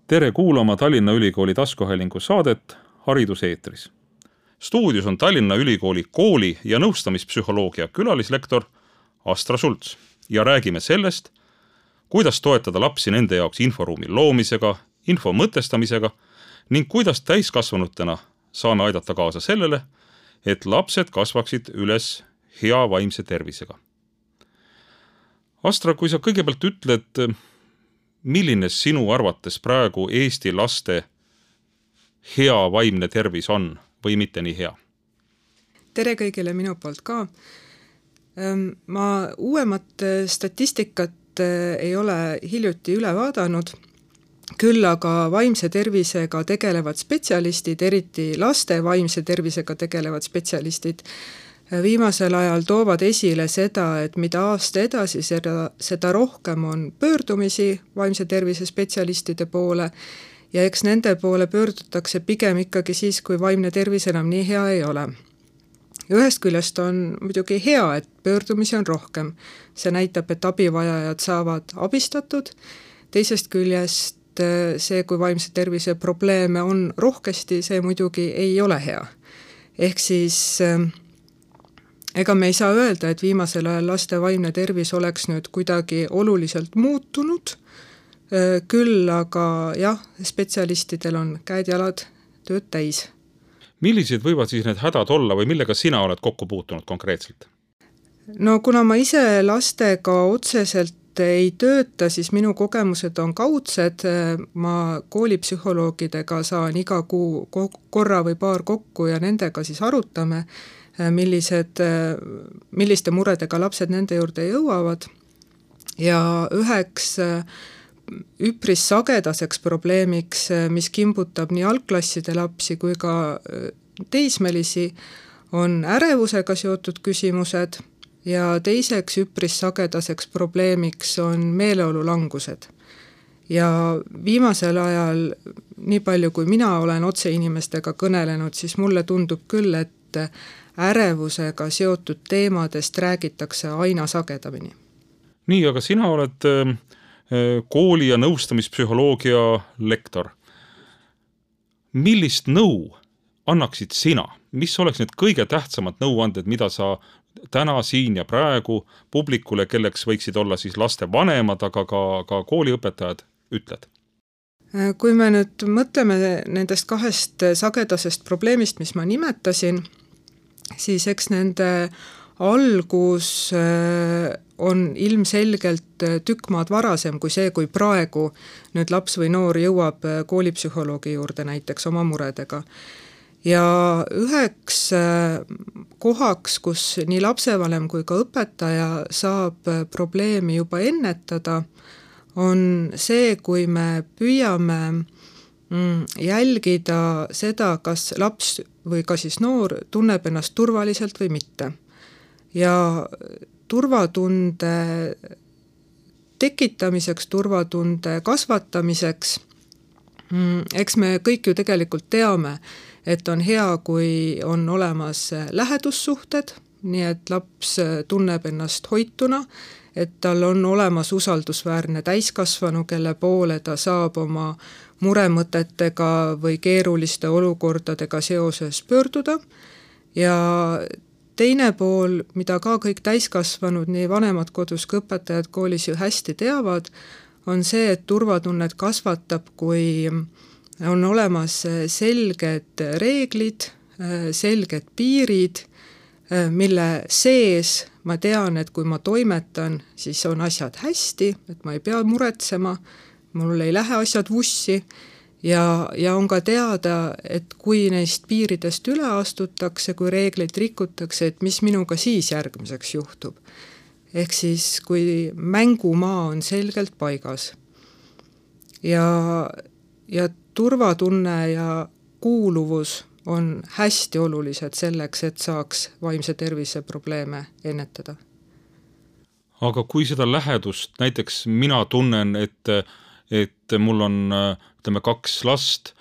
Tere kuulama Tallinna Ülikooli taskuhäälingu saadet Hariduseetris. Stuudios on Tallinna Ülikooli kooli- ja nõustamispsühholoogia külalislektor Astra Sults ja räägime sellest, kuidas toetada lapsi nende jaoks inforuumi loomisega, info mõtestamisega ning kuidas täiskasvanutena saame aidata kaasa sellele, et lapsed kasvaksid üles hea vaimse tervisega. Astra, kui sa kõigepealt ütled, milline sinu arvates praegu Eesti laste hea vaimne tervis on või mitte nii hea? Tere kõigile minu poolt ka. Ma uuemat statistikat ei ole hiljuti üle vaadanud, küll aga vaimse tervisega tegelevad spetsialistid, eriti laste vaimse tervisega tegelevad spetsialistid, viimasel ajal toovad esile seda, et mida aasta edasi, seda rohkem on pöördumisi vaimse tervise spetsialistide poole ja eks nende poole pöördutakse pigem ikkagi siis, kui vaimne tervis enam nii hea ei ole. Ühest küljest on muidugi hea, et pöördumisi on rohkem. See näitab, et abivajajad saavad abistatud. Teisest küljest see, kui vaimse tervise probleeme on rohkesti, see muidugi ei ole hea. Ehk siis ega me ei saa öelda, et viimasel ajal laste vaimne tervis oleks nüüd kuidagi oluliselt muutunud, küll aga jah, spetsialistidel on käed-jalad tööd täis. Millised võivad siis need hädad olla või millega sina oled kokku puutunud konkreetselt? No kuna ma ise lastega otseselt ei tööta, siis minu kogemused on kaudsed. Ma koolipsühholoogidega saan iga kuu korra või paar kokku ja nendega siis arutame, milliste muredega lapsed nende juurde jõuavad. Ja üheks üpris sagedaseks probleemiks, mis kimbutab nii algklasside lapsi kui ka teismelisi, on ärevusega seotud küsimused ja teiseks üpris sagedaseks probleemiks on meeleolulangused. Ja viimasel ajal, nii palju kui mina olen otse inimestega kõnelenud, siis mulle tundub küll, et ärevusega seotud teemadest räägitakse aina sagedamini. Nii, aga sina oled kooli- ja nõustamispsühholoogia lektor. Millist nõu annaksid sina? Mis oleks need kõige tähtsamad nõuanded, mida sa täna siin ja praegu publikule, kelleks võiksid olla siis laste vanemad, aga ka kooliõpetajad, ütled? Kui me nüüd mõtleme nendest kahest sagedasest probleemist, mis ma nimetasin, siis eks nende algus on ilmselgelt tükk maad varasem kui see, kui praegu nüüd laps või noor jõuab koolipsühholoogi juurde näiteks oma muredega. Ja üheks kohaks, kus nii lapsevanem kui ka õpetaja saab probleemi juba ennetada, on see, kui me püüame jälgida seda, kas laps või ka siis noor tunneb ennast turvaliselt või mitte. Ja turvatunde tekitamiseks, turvatunde kasvatamiseks, eks me kõik ju tegelikult teame, et on hea, kui on olemas lähedussuhted, nii et laps tunneb ennast hoituna, et tal on olemas usaldusväärne täiskasvanu, kelle poole ta saab oma muremõtetega või keeruliste olukordadega seoses pöörduda. Ja teine pool, mida ka kõik täiskasvanud, nii vanemad kodus kui õpetajad koolis ju hästi teavad, on see, et turvatunnet kasvatab, kui on olemas selged reeglid, selged piirid, mille sees ma tean, et kui ma toimetan, siis on asjad hästi, et ma ei pea muretsema, mul ei lähe asjad vussi ja on ka teada, et kui neist piiridest üle astutakse, kui reegleid rikutakse, et mis minuga siis järgmiseks juhtub. Ehk siis, kui mängumaa on selgelt paigas ja turvatunne ja kuuluvus on hästi olulised selleks, et saaks vaimse tervise probleeme ennetada. Aga kui seda lähedust, näiteks mina tunnen, et mul on, ütleme, 2 last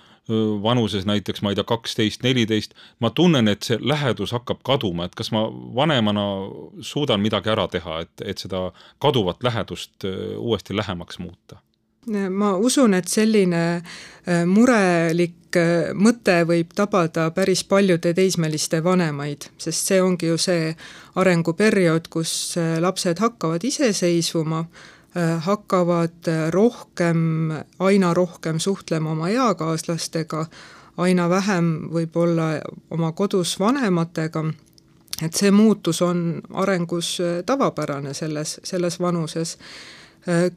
vanuses näiteks, ma ei tea, 12-14, ma tunnen, et see lähedus hakkab kaduma, et kas ma vanemana suudan midagi ära teha, et seda kaduvat lähedust uuesti lähemaks muuta? Ma usun, et selline murelik mõte võib tabada päris paljude teismeliste vanemaid, sest see ongi ju see arenguperiood, kus lapsed hakkavad iseseisvuma, hakkavad aina rohkem suhtlema oma eakaaslastega, aina vähem võib-olla oma kodus vanematega, et see muutus on arengus tavapärane selles vanuses.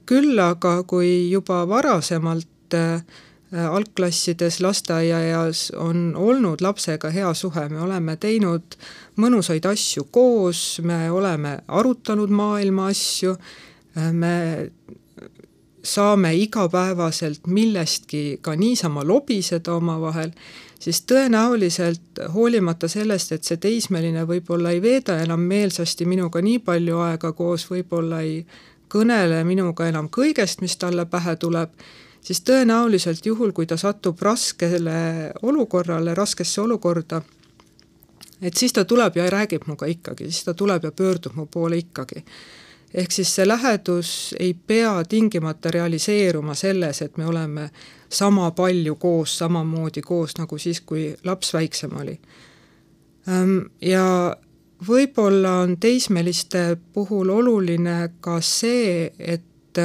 Küll aga kui juba varasemalt algklassides lasteaiaeas on olnud lapsega hea suhe, me oleme teinud mõnusaid asju koos, me oleme arutanud maailma asju, me saame igapäevaselt millestki ka niisama lobiseda omavahel, siis tõenäoliselt hoolimata sellest, et see teismeline võib-olla ei veeda enam meelsasti minuga nii palju aega koos, võib-olla ei kõnele minuga enam kõigest, mis talle pähe tuleb, siis tõenäoliselt juhul, kui ta satub raskesse olukorda, et siis ta tuleb ja räägib muga ikkagi, siis ta tuleb ja pöördub mu poole ikkagi. Ehk siis see lähedus ei pea tingimata realiseeruma selles, et me oleme sama palju koos, samamoodi koos, nagu siis, kui laps väiksem oli. Ja võib-olla on teismeliste puhul oluline ka see, et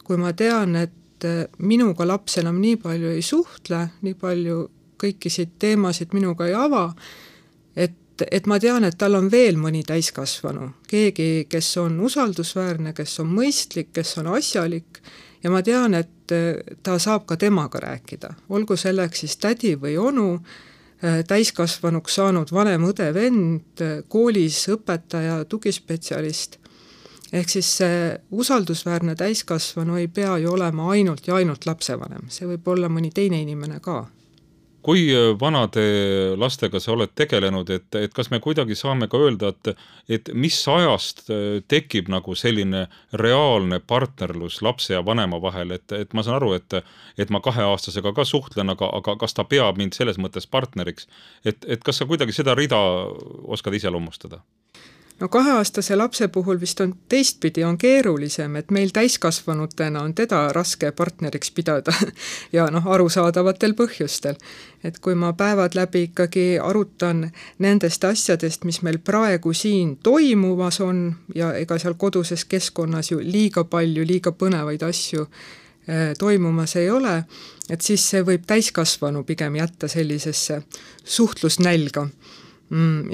kui ma tean, et minuga laps enam nii palju ei suhtle, nii palju kõikisid teemasid minuga ei ava, et ma tean, et tal on veel mõni täiskasvanu, keegi, kes on usaldusväärne, kes on mõistlik, kes on asjalik, ja ma tean, et ta saab ka temaga rääkida, olgu selleks siis tädi või onu, täiskasvanuks saanud vanem õde, vend, koolis õpetaja, tugispetsialist. Ehk siis see usaldusväärne täiskasvanu ei pea ju olema ainult ja ainult lapsevanem, see võib olla mõni teine inimene ka. Kui vanade lastega sa oled tegelenud, et kas me kuidagi saame ka öelda, et mis ajast tekib nagu selline reaalne partnerlus lapse ja vanema vahel, et ma saan aru, et ma 2-aastasega ka suhtlen, aga kas ta peab mind selles mõttes partneriks, et kas sa kuidagi seda rida oskad iseloomustada? No 2-aastase lapse puhul vist on teistpidi, on keerulisem, et meil täiskasvanutena on teda raske partneriks pidada ja arusaadavatel põhjustel. Et kui ma päevad läbi ikkagi arutan nendest asjadest, mis meil praegu siin toimumas on ja ega seal koduses keskkonnas ju liiga palju, liiga põnevaid asju toimumas ei ole, et siis see võib täiskasvanu pigem jätta sellisesse suhtlusnälga.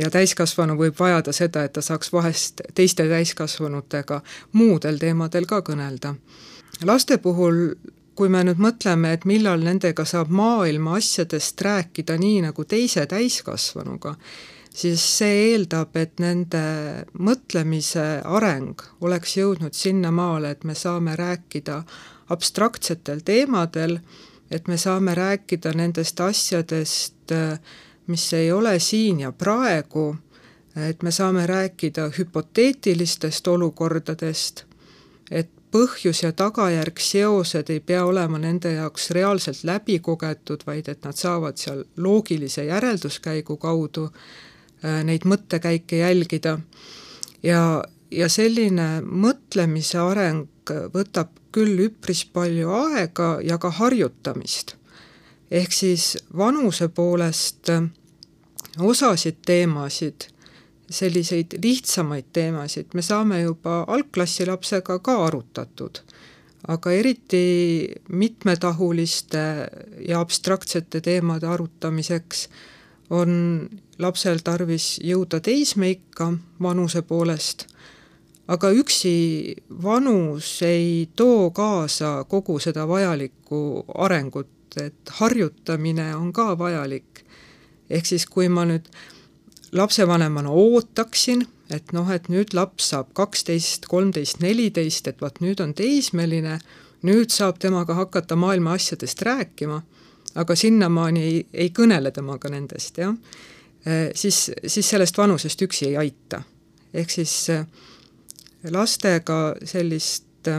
Ja täiskasvanu võib vajada seda, et ta saaks vahest teiste täiskasvanutega muudel teemadel ka kõnelda. Laste puhul, kui me nüüd mõtleme, et millal nendega saab maailma asjadest rääkida nii nagu teise täiskasvanuga, siis see eeldab, et nende mõtlemise areng oleks jõudnud sinnamaale, et me saame rääkida abstraktsetel teemadel, et me saame rääkida nendest asjadest, mis ei ole siin ja praegu, et me saame rääkida hüpoteetilistest olukordadest, et põhjus ja tagajärg seosed ei pea olema nende jaoks reaalselt läbi kogetud, vaid et nad saavad seal loogilise järelduskäigu kaudu neid mõttekäike jälgida. Ja selline mõtlemise areng võtab küll üpris palju aega ja ka harjutamist. Ehk siis vanuse poolest osasid teemasid, selliseid lihtsamaid teemasid, me saame juba algklassi lapsega ka arutatud, aga eriti mitmetahuliste ja abstraktsete teemade arutamiseks on lapsel tarvis jõuda teismeikka vanuse poolest, aga üksi vanus ei too kaasa kogu seda vajalikku arengut, et harjutamine on ka vajalik. Ehk siis kui ma nüüd lapsevanemana ootaksin, et nüüd laps saab 12, 13, 14, et vaat nüüd on teismeline, nüüd saab temaga hakata maailma asjadest rääkima, aga sinnamaani ei kõnele temaga nendest, ja? Siis sellest vanusest üksi ei aita. Ehk siis lastega sellist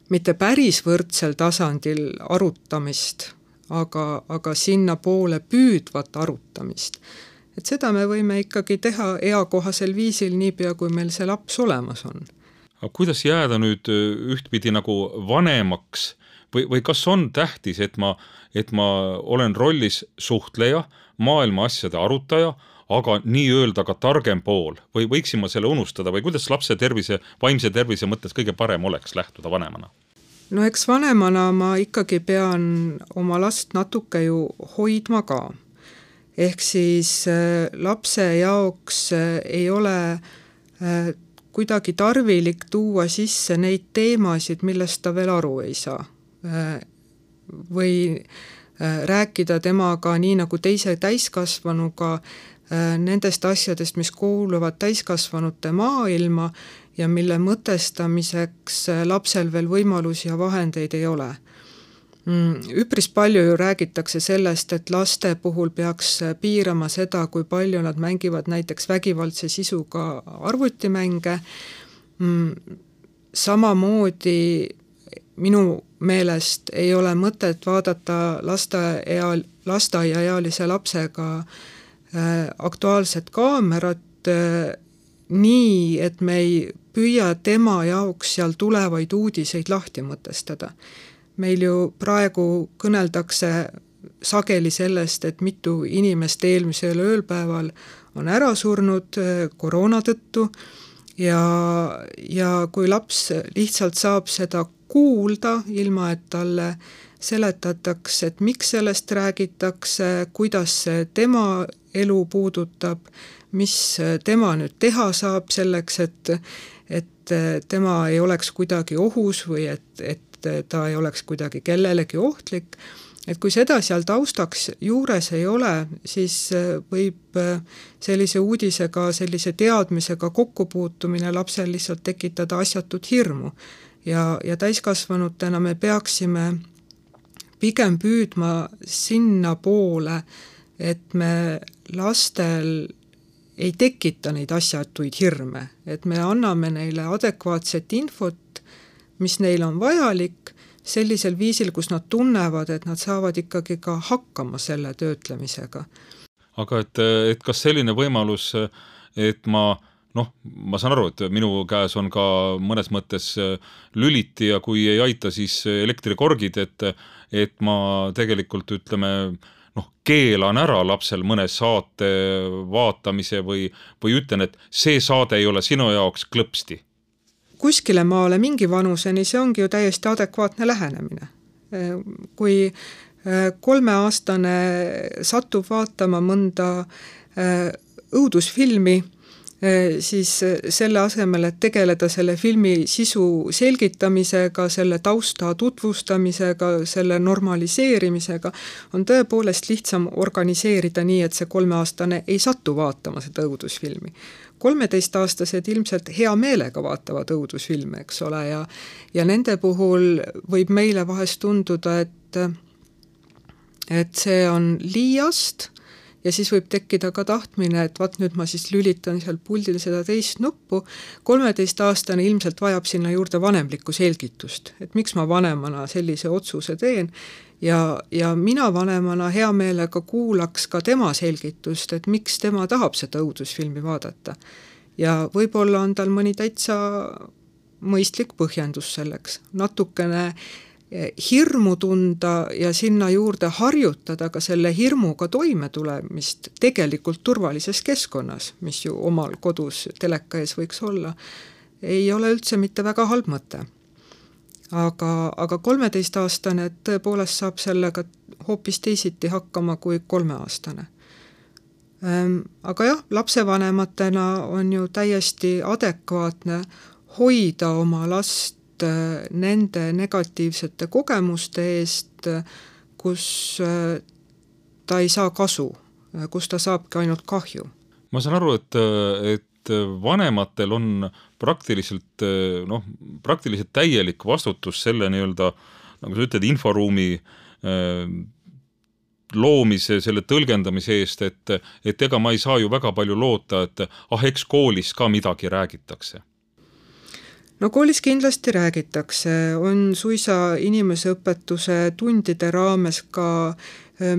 mitte päris võrdsel tasandil arutamist, aga sinna poole püüdvat arutamist. Et seda me võime ikkagi teha eakohasel viisil niipea, kui meil see laps olemas on. Aga kuidas jääda nüüd ühtpidi nagu vanemaks või kas on tähtis, et ma olen rollis suhtleja, maailma asjade arutaja, aga nii-öelda ka targem pool või võiksin ma selle unustada või kuidas lapse tervise, vaimse tervise mõttes kõige parem oleks lähtuda vanemana? No eks vanemana ma ikkagi pean oma last natuke ju hoidma ka. Ehk siis lapse jaoks ei ole kuidagi tarvilik tuua sisse neid teemasid, millest ta veel aru ei saa. Või rääkida temaga nii nagu teise täiskasvanuga nendest asjadest, mis kuuluvad täiskasvanute maailma ja mille mõtestamiseks lapsel veel võimalusi ja vahendeid ei ole. Üpris palju ju räägitakse sellest, et laste puhul peaks piirama seda, kui palju nad mängivad näiteks vägivaldse sisuga arvutimänge. Samamoodi minu meelest ei ole mõtet vaadata lasteaiaealise lapsega aktuaalset kaamerat nii, et me ei püüa tema jaoks seal tulevaid uudiseid lahti mõtestada. Meil ju praegu kõneldakse sageli sellest, et mitu inimest eelmisel ööpäeval on ära surnud koroona tõttu ja kui laps lihtsalt saab seda kuulda, ilma et talle seletatakse, et miks sellest räägitakse, kuidas see tema elu puudutab, mis tema nüüd teha saab selleks, et tema ei oleks kuidagi ohus või et ta ei oleks kuidagi kellelegi ohtlik. Et kui seda seal taustaks juures ei ole, siis võib sellise uudisega, sellise teadmisega kokkupuutumine lapsel lihtsalt tekitada asjatut hirmu. Ja täiskasvanutena me peaksime pigem püüdma sinna poole, et me lastel ei tekita neid asjatuid hirme, et me anname neile adekvaatset infot, mis neil on vajalik, sellisel viisil, kus nad tunnevad, et nad saavad ikkagi ka hakkama selle töötlemisega. Aga et kas selline võimalus, et ma saan aru, et minu käes on ka mõnes mõttes lüliti ja kui ei aita, siis elektrikorgid, et ma tegelikult keelan ära lapsel mõne saate vaatamise või ütlen, et see saade ei ole sinu jaoks klõpsti. Kuskile maale mingi vanuseni see ongi ju täiesti adekvaatne lähenemine. Kui 3-aastane satub vaatama mõnda õudusfilmi, siis selle asemel, et tegeleda selle filmi sisu selgitamisega, selle tausta tutvustamisega, selle normaliseerimisega, on tõepoolest lihtsam organiseerida nii, et see 3-aastane ei satu vaatama seda õudusfilmi. 13-aastased ilmselt hea meelega vaatavad õudusfilme, eks ole, ja nende puhul võib meile vahest tunduda, et see on liiast ja siis võib tekkida ka tahtmine, et nüüd ma siis lülitan seal puldil seda teist nuppu. 13-aastane ilmselt vajab sinna juurde vanemlikku selgitust, et miks ma vanemana sellise otsuse teen ja mina vanemana hea meelega kuulaks ka tema selgitust, et miks tema tahab seda õudusfilmi vaadata. Ja võib-olla on tal mõni täitsa mõistlik põhjendus selleks. Natukene hirmu tunda ja sinna juurde harjutada ka selle hirmuga toime tulemist tegelikult turvalises keskkonnas, mis ju omal kodus teleka ees võiks olla, ei ole üldse mitte väga halb mõte. Aga 13-aastane tõepoolest saab sellega hoopis teisiti hakkama kui 3-aastane. Aga jah, lapsevanematena on ju täiesti adekvaatne hoida oma last nende negatiivsete kogemuste eest, kus ta ei saa kasu, kus ta saabki ainult kahju. Ma saan aru, et vanematel on praktiliselt täielik vastutus selle nii-öelda, nagu sa ütled, inforuumi loomise, selle tõlgendamise eest, et ega ma ei saa ju väga palju loota, et eks koolis ka midagi räägitakse. No koolis kindlasti räägitakse, on suisa inimeseõpetuse tundide raames ka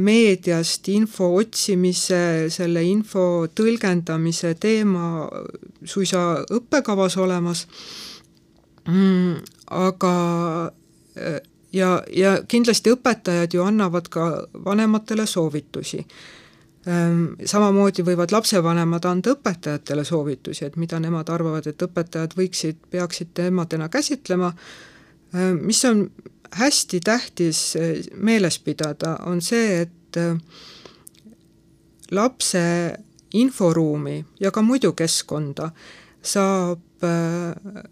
meediast info otsimise, selle info tõlgendamise teema suisa õppekavas olemas. Aga ja kindlasti õpetajad ju annavad ka vanematele soovitusi. Samamoodi võivad lapsevanemad anda õpetajatele soovitusi, et mida nemad arvavad, et õpetajad peaksid teemadena käsitlema. Mis on hästi tähtis meeles pidada, on see, et lapse inforuumi ja ka muidu keskkonda saab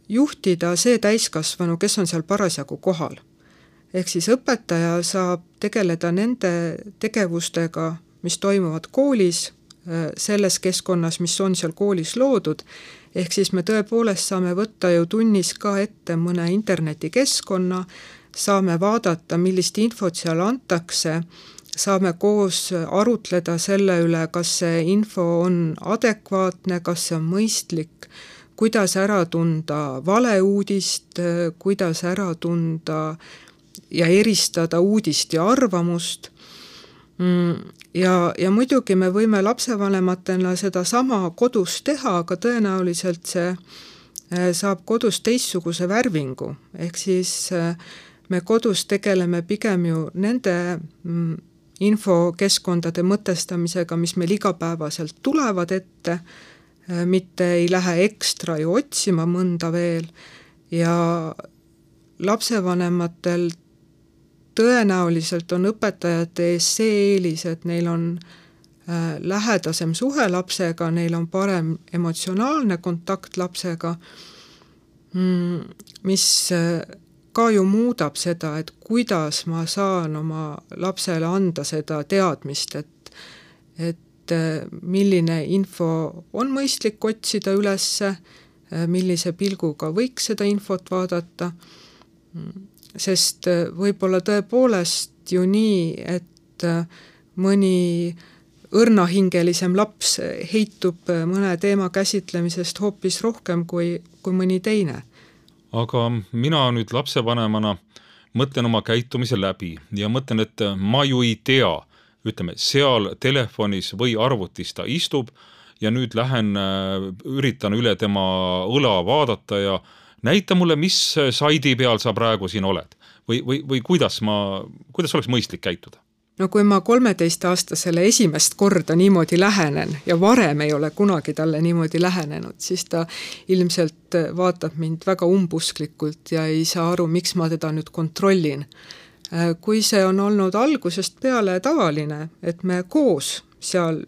juhtida see täiskasvanu, kes on seal parasjagu kohal. Ehk siis õpetaja saab tegeleda nende tegevustega, mis toimuvad koolis, selles keskkonnas, mis on seal koolis loodud. Ehk siis me tõepoolest saame võtta ju tunnis ka ette mõne internetikeskkonna, saame vaadata, millist infot seal antakse, saame koos arutleda selle üle, kas see info on adekvaatne, kas see on mõistlik, kuidas ära tunda valeuudist, kuidas ära tunda ja eristada uudist ja arvamust. Ja muidugi me võime lapsevanematena seda sama kodus teha, aga tõenäoliselt see saab kodus teistsuguse värvingu. Ehk siis me kodus tegeleme pigem ju nende infokeskkondade mõtestamisega, mis meil igapäevaselt tulevad ette, mitte ei lähe ekstra ju otsima mõnda veel ja lapsevanematel tõenäoliselt on õpetajate ees see eelis, et neil on lähedasem suhe lapsega, neil on parem emotsionaalne kontakt lapsega, mis ka ju muudab seda, et kuidas ma saan oma lapsele anda seda teadmist, et milline info on mõistlik otsida ülesse, millise pilguga võiks seda infot vaadata, sest võib-olla tõepoolest ju nii, et mõni õrnahingelisem laps heitub mõne teema käsitlemisest hoopis rohkem kui mõni teine. Aga mina nüüd lapsevanemana mõtlen oma käitumise läbi ja mõtlen, et ma ju ei tea, ütleme, seal telefonis või arvutis ta istub ja nüüd üritan üle tema õla vaadata ja näita mulle, mis saidi peal sa praegu siin oled või kuidas oleks mõistlik käituda? No kui ma 13-aastasele esimest korda niimoodi lähenen ja varem ei ole kunagi talle niimoodi lähenenud, siis ta ilmselt vaatab mind väga umbusklikult ja ei saa aru, miks ma teda nüüd kontrollin. Kui see on olnud algusest peale tavaline, et me koos seal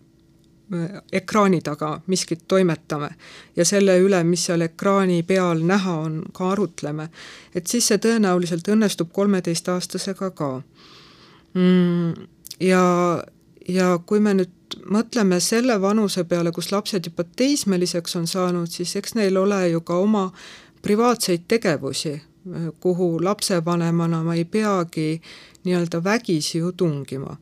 ekraani taga miskit toimetame ja selle üle, mis seal ekraani peal näha on, ka arutleme, et siis see tõenäoliselt õnnestub 13-aastasega ka. Ja kui me nüüd mõtleme selle vanuse peale, kus lapsed juba teismeliseks on saanud, siis eks neil ole ju ka oma privaatseid tegevusi, kuhu lapsevanemana ma ei peagi nii-öelda vägisi ju tungima.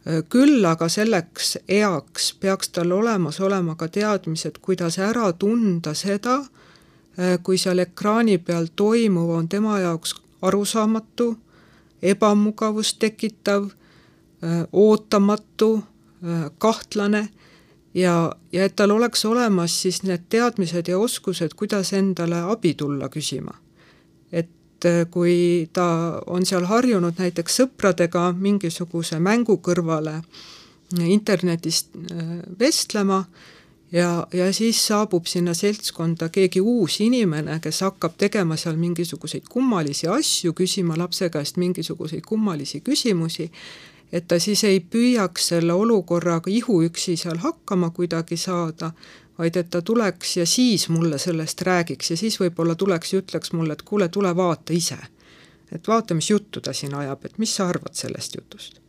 Küll aga selleks eaks peaks tal olema ka teadmised, kuidas ära tunda seda, kui seal ekraani peal toimuv on tema jaoks arusaamatu, ebamugavust tekitav, ootamatu, kahtlane ja et tal oleks olemas siis need teadmised ja oskused, kuidas endale abi tulla küsima. Et kui ta on seal harjunud näiteks sõpradega mingisuguse mängu kõrvale internetist vestlema ja siis saabub sinna seltskonda keegi uus inimene, kes hakkab tegema seal mingisuguseid kummalisi asju, küsima lapse käest mingisuguseid kummalisi küsimusi, et ta siis ei püüaks selle olukorraga ihuüksi seal hakkama kuidagi saada, vaid et ta tuleks ja siis mulle sellest räägiks ja siis võib-olla tuleks ja ütleks mulle, et kuule, tule vaata ise. Et vaata, mis juttu ta siin ajab, et mis sa arvad sellest jutust?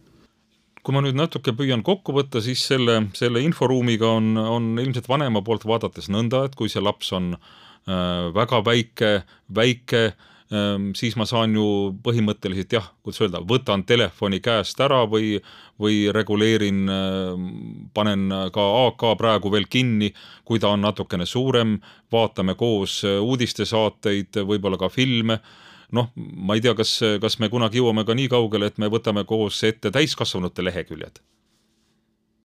Kui ma nüüd natuke püüan kokku võtta, siis selle inforuumiga on ilmselt vanema poolt vaadates nõnda, et kui see laps on väga väike, siis ma saan ju põhimõtteliselt kuidas öelda, võtan telefoni käest ära või reguleerin, panen ka AK praegu veel kinni, kui ta on natukene suurem, vaatame koos uudistesaateid, võib-olla ka filme. Ma ei tea, kas me kunagi jõuame ka nii kaugele, et me võtame koos ette täiskasvanute leheküljed?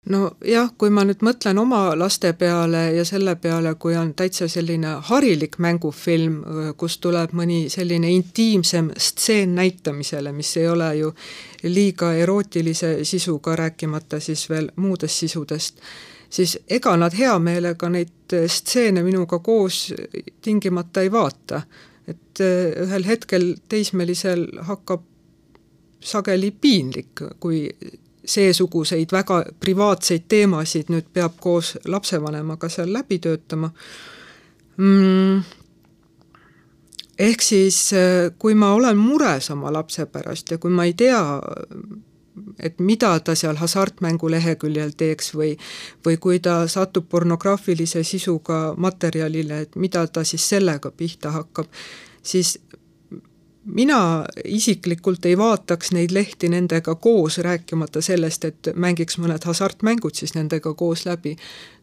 no jah, kui ma nüüd mõtlen oma laste peale ja selle peale, kui on täitsa selline harilik mängufilm, kus tuleb mõni selline intiimsem stseen näitamisele, mis ei ole ju liiga erootilise sisuga, rääkimata siis veel muudest sisudest, siis ega nad hea meelega neid stseene minuga koos tingimata ei vaata. Et ühel hetkel teismelisel hakkab sageli piinlik, kui seesuguseid väga privaatseid teemasid nüüd peab koos lapsevanemaga seal läbi töötama. Ehk siis, kui ma olen mures oma lapse pärast ja kui ma ei tea, et mida ta seal hasartmängu leheküljel teeks või kui ta satub pornograafilise sisuga materjalile, et mida ta siis sellega pihta hakkab, siis mina isiklikult ei vaataks neid lehti nendega koos, rääkimata sellest, et mängiks mõned hasartmängud siis nendega koos läbi.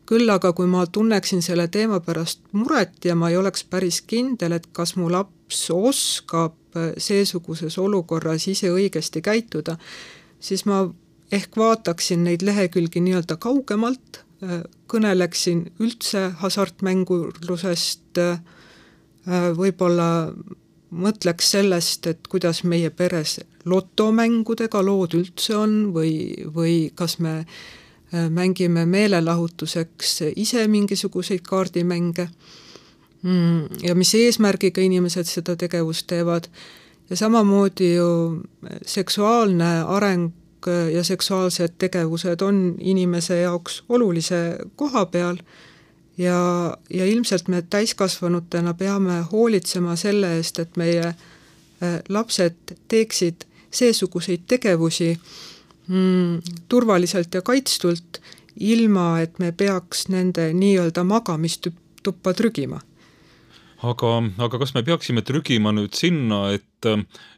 Küll aga kui ma tunneksin selle teema pärast muret ja ma ei oleks päris kindel, et kas mu laps oskab seesuguses olukorras ise õigesti käituda, siis ma ehk vaataksin neid lehekülgi nii-öelda kaugemalt, kõneleksin üldse hasartmängurlusest, võib-olla mõtleks sellest, et kuidas meie peres lotomängudega lood üldse on või kas me mängime meelelahutuseks ise mingisuguseid kaardimänge ja mis eesmärgiga inimesed seda tegevust teevad. Ja samamoodi ju seksuaalne areng ja seksuaalsed tegevused on inimese jaoks olulise koha peal ja ilmselt me täiskasvanutena peame hoolitsema selle eest, et meie lapsed teeksid seesuguseid tegevusi turvaliselt ja kaitstult, ilma et me peaks nende nii-öelda magamistuppa trügima. Aga kas me peaksime trügima nüüd sinna, et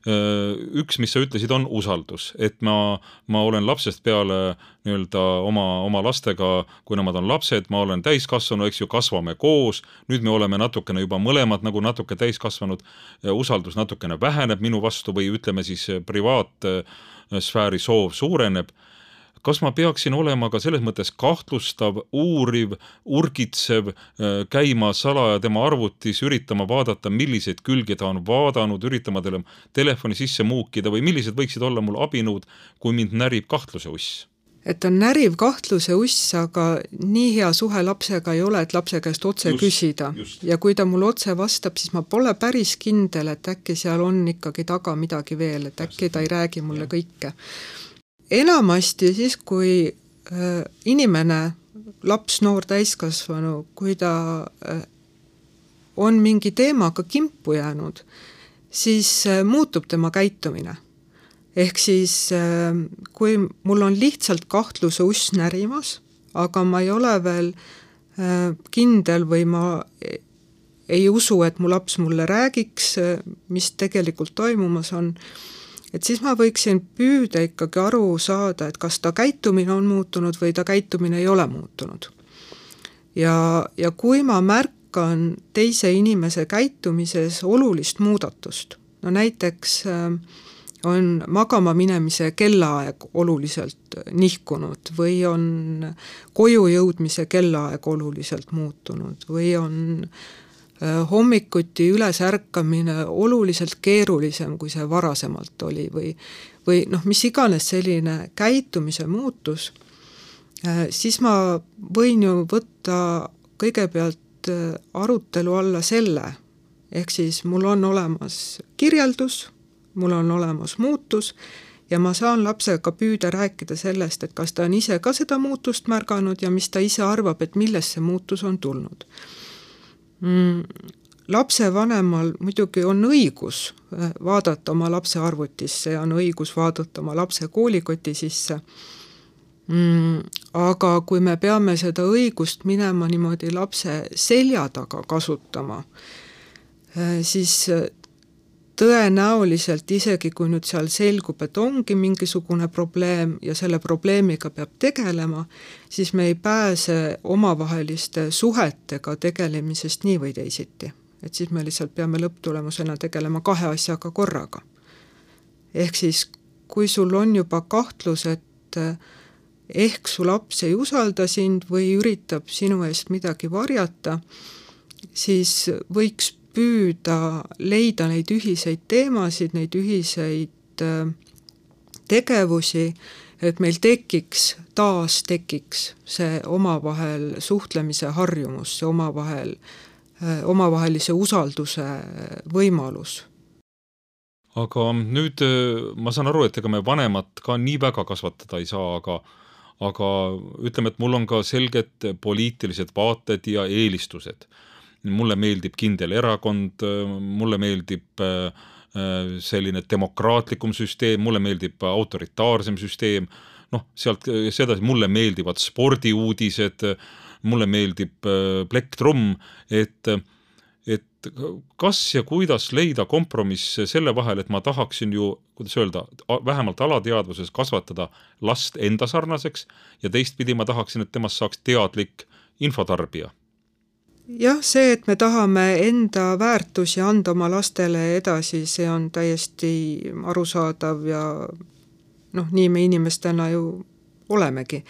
üks, mis sa ütlesid, on usaldus, et ma olen lapsest peale nii-öelda oma lastega, kui nemad on lapsed, ma olen täiskasvanu, eks ju, kasvame koos, nüüd me oleme natukene juba mõlemad nagu natuke täiskasvanud, usaldus natukene väheneb minu vastu või ütleme siis privaatsfääri soov suureneb. Kas ma peaksin olema ka selles mõttes kahtlustav, uuriv, urgitsev, käima salaja tema arvutis, üritama vaadata, milliseid külgi ta on vaadanud, üritama telefoni sisse muukida või millised võiksid olla mul abinõud, kui mind närib kahtluse uss? Et on näriv kahtluse uss, aga nii hea suhe lapsega ei ole, et lapse käest otse küsida. Ja kui ta mul otse vastab, siis ma pole päris kindel, et äkki seal on ikkagi taga midagi veel, et äkki ta ei räägi mulle kõike. Enamasti siis, kui inimene, laps, noor, täiskasvanu, kui ta on mingi teemaga kimpu jäänud, siis muutub tema käitumine. Ehk siis, kui mul on lihtsalt kahtluse uss närimas, aga ma ei ole veel kindel või ma ei usu, et mu laps mulle räägiks, mis tegelikult toimumas on, et siis ma võiksin püüda ikkagi aru saada, et kas ta käitumine on muutunud või ta käitumine ei ole muutunud. Ja kui ma märkan teise inimese käitumises olulist muudatust, no näiteks on magama minemise kellaaeg oluliselt nihkunud või on koju jõudmise kellaaeg oluliselt muutunud või on hommikuti üles ärkamine oluliselt keerulisem, kui see varasemalt oli või mis iganes selline käitumise muutus, siis ma võin ju võtta kõigepealt arutelu alla selle, ehk siis mul on olemas kirjeldus, mul on olemas muutus ja ma saan lapsega püüda rääkida sellest, et kas ta on ise ka seda muutust märganud ja mis ta ise arvab, et millest see muutus on tulnud. Lapse vanemal muidugi on õigus vaadata oma lapse arvutisse ja on õigus vaadata oma lapse koolikoti sisse. Aga kui me peame seda õigust minema niimoodi lapse selja taga kasutama, siis tõenäoliselt isegi kui nüüd seal selgub, et ongi mingisugune probleem ja selle probleemiga peab tegelema, siis me ei pääse omavaheliste suhetega tegelemisest nii või teisiti. Et siis me lihtsalt peame lõpptulemusena tegelema kahe asjaga korraga. Ehk siis, kui sul on juba kahtlus, et ehk su laps ei usalda sind või üritab sinu eest midagi varjata, siis võiks püüda leida neid ühiseid teemasid, neid ühiseid tegevusi, et meil tekiks see omavahel suhtlemise harjumus, see omavahelise usalduse võimalus. Aga nüüd ma saan aru, et ega me vanemat ka nii väga kasvatada ei saa, aga ütleme, et mul on ka selged poliitilised vaated ja eelistused. Mulle meeldib kindel erakond, mulle meeldib selline demokraatlikum süsteem, mulle meeldib autoritaarsem süsteem, sealt sedasi mulle meeldivad spordiuudised, mulle meeldib plektrum, et kas ja kuidas leida kompromiss selle vahel, et ma tahaksin ju, kuidas öelda, vähemalt alateadvuses kasvatada last enda sarnaseks ja teistpidi ma tahaksin, et temast saaks teadlik infotarbija. Jah, see, et me tahame enda väärtusi anda oma lastele edasi, see on täiesti arusaadav ja nii me inimestena ju olemegi.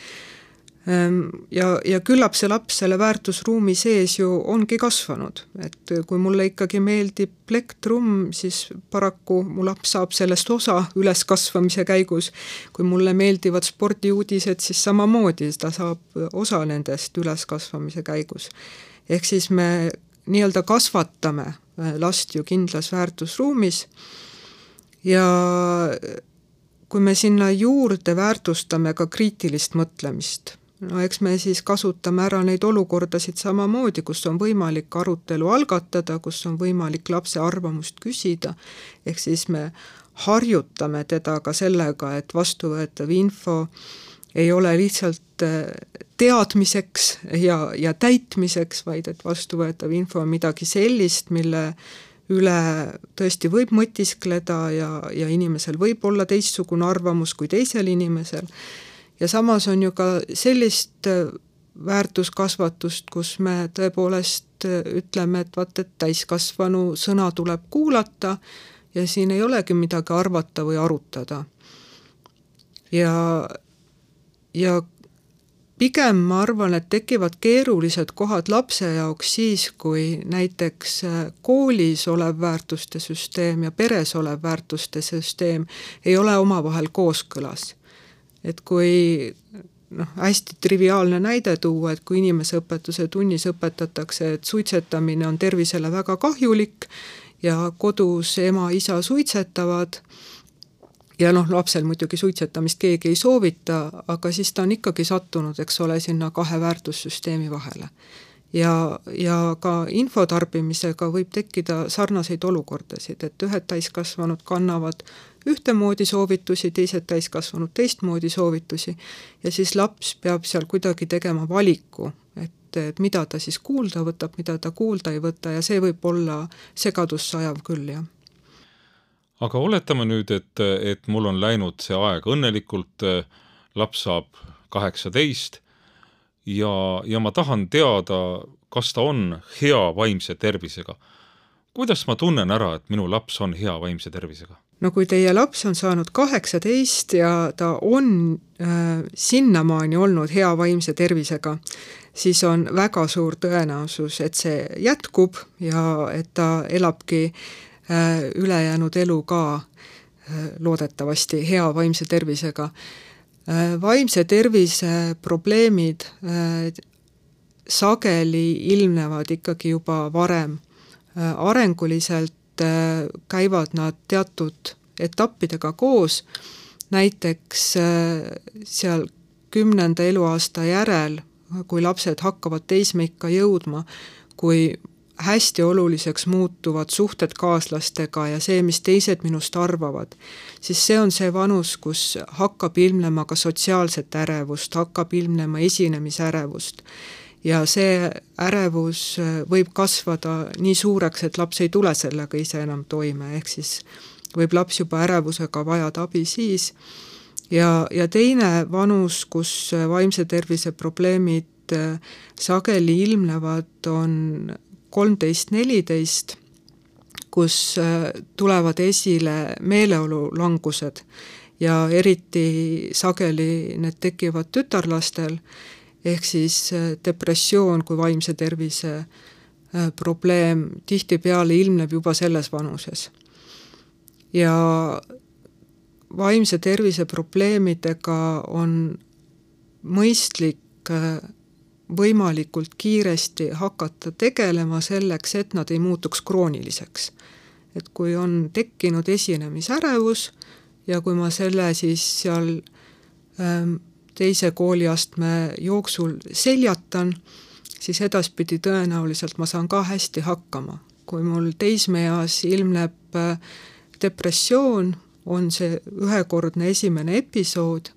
Ja küllap see laps selle väärtusruumi sees ju ongi kasvanud, et kui mulle ikkagi meeldib plektrum, siis paraku mu laps saab sellest osa üleskasvamise käigus. Kui mulle meeldivad spordiuudised, siis samamoodi ta saab osa nendest üleskasvamise käigus. Ehk siis me nii-öelda kasvatame last ju kindlas väärtusruumis ja kui me sinna juurde väärtustame ka kriitilist mõtlemist, eks me siis kasutame ära neid olukordasid samamoodi, kus on võimalik arutelu algatada, kus on võimalik lapse arvamust küsida, ehk siis me harjutame teda ka sellega, et vastuvõetav info ei ole lihtsalt teadmiseks ja täitmiseks, vaid et vastuvõetav info on midagi sellist, mille üle tõesti võib mõtiskleda ja inimesel võib olla teistsugune arvamus kui teisel inimesel. Ja samas on ju ka sellist väärtuskasvatust, kus me tõepoolest ütleme, et täiskasvanu sõna tuleb kuulata ja siin ei olegi midagi arvata või arutada. Ja pigem ma arvan, et tekivad keerulised kohad lapse jaoks siis, kui näiteks koolis olev väärtuste süsteem ja peres olev väärtuste süsteem ei ole omavahel kooskõlas. Et kui hästi triviaalne näide tuua, et kui inimeseõpetuse tunnis õpetatakse, et suitsetamine on tervisele väga kahjulik ja kodus ema-isa suitsetavad, ja lapsel muidugi suitsetamist keegi ei soovita, aga siis ta on ikkagi sattunud, eks ole, sinna kahe väärtussüsteemi vahele. Ja ka infotarbimisega võib tekkida sarnaseid olukordasid, et ühed täiskasvanud kannavad ühtemoodi soovitusi, teised täiskasvanud teistmoodi soovitusi ja siis laps peab seal kuidagi tegema valiku, et mida ta siis kuulda võtab, mida ta kuulda ei võta ja see võib olla segadussajav küll, jah. Aga oletame nüüd, et mul on läinud see aeg õnnelikult, laps saab 18 ja ma tahan teada, kas ta on hea vaimse tervisega. Kuidas ma tunnen ära, et minu laps on hea vaimse tervisega? No kui teie laps on saanud 18 ja ta on sinnamaani olnud hea vaimse tervisega, siis on väga suur tõenäosus, et see jätkub ja et ta elabki ülejäänud elu ka loodetavasti hea vaimse tervisega. Vaimse tervise probleemid sageli ilmnevad ikkagi juba varem. Arenguliselt käivad nad teatud etappidega koos, näiteks seal 10. eluaasta järel, kui lapsed hakkavad teismeikka jõudma, kui hästi oluliseks muutuvad suhted kaaslastega ja see, mis teised minust arvavad, siis see on see vanus, kus hakkab ilmnema ka sotsiaalset ärevust, hakkab ilmnema esinemisärevust. Ja see ärevus võib kasvada nii suureks, et laps ei tule sellega ise enam toime, ehk siis võib laps juba ärevusega vajada abi siis. Ja teine vanus, kus vaimse tervise probleemid sageli ilmnevad, on 13-14, kus tulevad esile meeleolulangused ja eriti sageli need tekivad tütarlastel, ehk siis depressioon kui vaimse tervise probleem tihtipeale ilmneb juba selles vanuses. Ja vaimse tervise probleemidega on mõistlik võimalikult kiiresti hakata tegelema selleks, et nad ei muutuks krooniliseks. Et kui on tekkinud esinemisärevus ja kui ma selle siis seal teise kooliastme jooksul seljatan, siis edaspidi tõenäoliselt ma saan ka hästi hakkama. Kui mul teismeeas ilmneb depressioon, on see ühekordne esimene episood,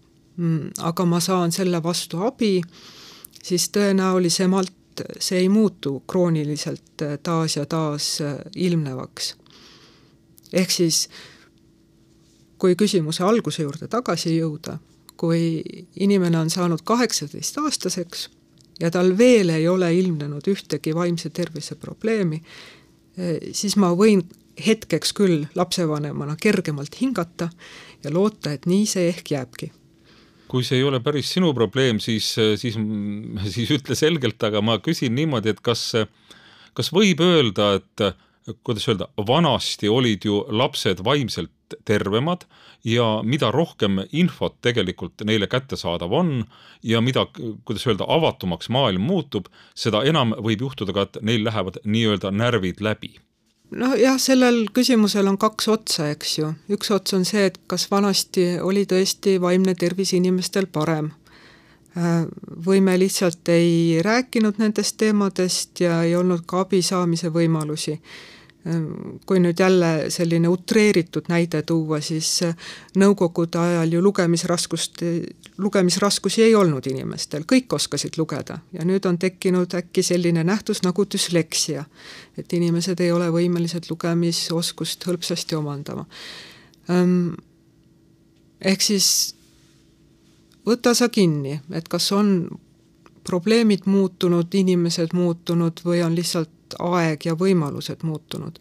aga ma saan selle vastu abi, siis tõenäolisemalt see ei muutu krooniliselt taas ja taas ilmnevaks. Ehk siis, kui küsimuse alguse juurde tagasi jõuda, kui inimene on saanud 18-aastaseks ja tal veel ei ole ilmnenud ühtegi vaimse tervise probleemi, siis ma võin hetkeks küll lapsevanemana kergemalt hingata ja loota, et nii see ehk jääbki. Kui see ei ole päris sinu probleem, siis ütle selgelt, aga ma küsin niimoodi, et kas võib öelda, et kuidas öelda, vanasti olid ju lapsed vaimselt tervemad ja mida rohkem infot tegelikult neile kättesaadav on ja mida, kuidas öelda, avatumaks maailm muutub, seda enam võib juhtuda ka, et neil lähevad nii-öelda närvid läbi. No jah, sellel küsimusel on kaks otsa, eks ju. Üks ots on see, et kas vanasti oli tõesti vaimne tervis inimestel parem. Või me lihtsalt ei rääkinud nendest teemadest ja ei olnud ka abi saamise võimalusi. Kui nüüd jälle selline utreeritud näide tuua, siis nõukogude ajal ju lugemisraskusi ei olnud inimestel, kõik oskasid lugeda ja nüüd on tekkinud äkki selline nähtus nagu düsleksia, et inimesed ei ole võimelised lugemisoskust hõlpsasti omandama. Ehk siis võta sa kinni, et kas on probleemid muutunud, inimesed muutunud või on lihtsalt aeg ja võimalused muutunud.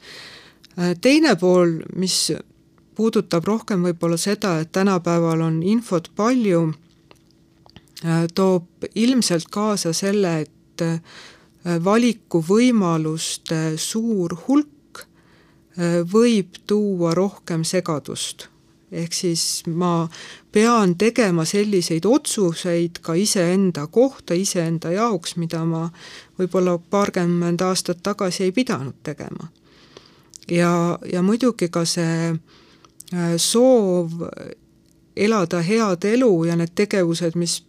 Teine pool, mis puudutab rohkem võib-olla seda, et tänapäeval on infot palju, toob ilmselt kaasa selle, et valikuvõimaluste suur hulk võib tuua rohkem segadust. Ehk siis ma pean tegema selliseid otsuseid ka iseenda kohta, iseenda jaoks, mida ma võib-olla paarkümmend aastat tagasi ei pidanud tegema. Ja muidugi ka see soov elada head elu ja need tegevused, mis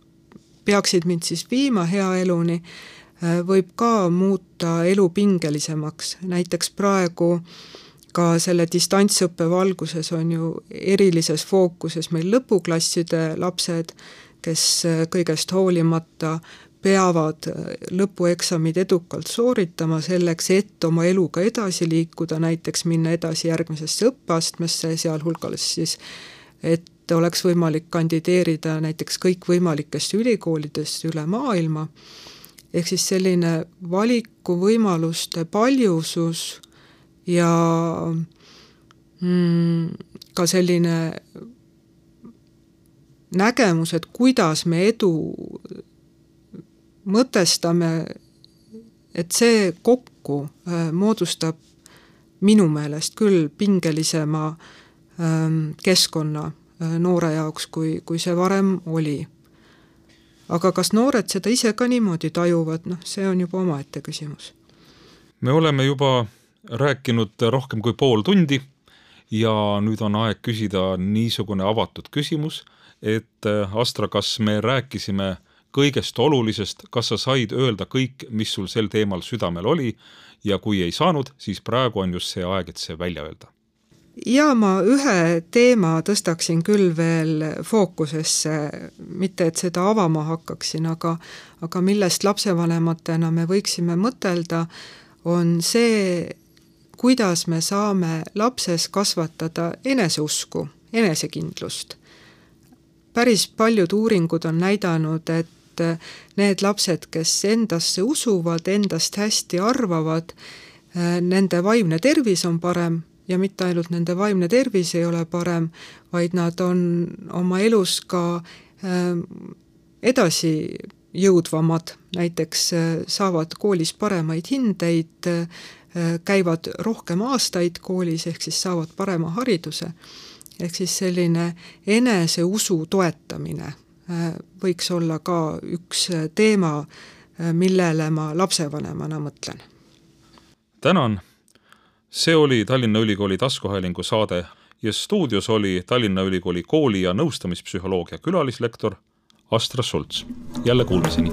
peaksid mind siis viima hea eluni, võib ka muuta elu pingelisemaks. Näiteks praegu ka selle distantsõppe valguses on ju erilises fookuses meil lõpuklasside lapsed, kes kõigest hoolimata peavad lõpueksamid edukalt sooritama selleks, et oma eluga edasi liikuda, näiteks minna edasi järgmisesse õppeastmesse, sealhulgas siis, et oleks võimalik kandideerida näiteks kõikvõimalikest ülikoolidest üle maailma. Ehk siis selline valikuvõimaluste paljusus ja ka selline nägemus, et kuidas me edu mõtestame, et see kokku moodustab minu meelest küll pingelisema keskkonna noore jaoks, kui see varem oli. Aga kas noored seda ise ka niimoodi tajuvad, see on juba omaette küsimus. Me oleme juba rääkinud rohkem kui pool tundi ja nüüd on aeg küsida niisugune avatud küsimus, et Astra, kas me rääkisime kõigest olulisest, kas sa said öelda kõik, mis sul sel teemal südamel oli ja kui ei saanud, siis praegu on just see aeg, et see välja öelda. Ja ma ühe teema tõstaksin küll veel fookusesse, mitte et seda avama hakkaksin, aga millest lapsevanematena me võiksime mõtelda, on see, kuidas me saame lapses kasvatada eneseusku, enesekindlust. Päris paljud uuringud on näidanud, et need lapsed, kes endasse usuvad, endast hästi arvavad, nende vaimne tervis on parem ja mitte ainult nende vaimne tervis ei ole parem, vaid nad on oma elus ka edasi jõudvamad, näiteks saavad koolis paremaid hindeid, käivad rohkem aastaid koolis, ehk siis saavad parema hariduse. Ehk siis selline eneseusu toetamine võiks olla ka üks teema, millele ma lapsevanemana mõtlen. Tänan! See oli Tallinna Ülikooli taskuhäälingu saade ja stuudios oli Tallinna Ülikooli kooli- ja nõustamispsühholoogia külalislektor Astra Sults. Jälle kuulmiseni!